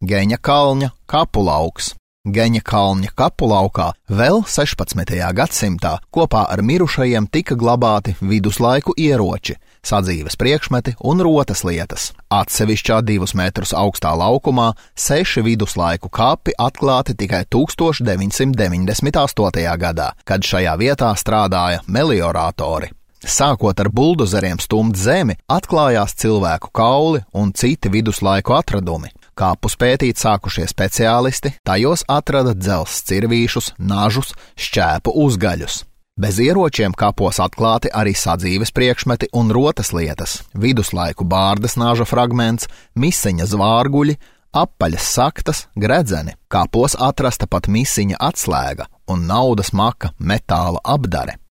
Geņa kalņa kapulauks. Geņa kalņa kapulaukā vēl 16. gadsimtā kopā ar mirušajiem tika glabāti viduslaiku ieroči, sadzīves priekšmeti un rotas lietas. Atsevišķā 2 metrus augstā laukumā 6 viduslaiku kapi atklāti tikai 1998. gadā, kad šajā vietā strādāja melioratori. Sākot ar buldozeriem stumt zemi, atklājās cilvēku kauli un citi viduslaiku atradumi. Kapus pētīt sākušie speciālisti, tajos atrada dzelzs cirvīšus, nažus, šķēpu uzgaļus. Bez ieročiem kapos atklāti arī sadzīves priekšmeti un rotas lietas, viduslaiku bārdas naža fragments, misiņa zvārguļi, apaļas saktas, gredzeni. Kapos atrasta pat misiņa atslēga un naudas maka metāla apdare.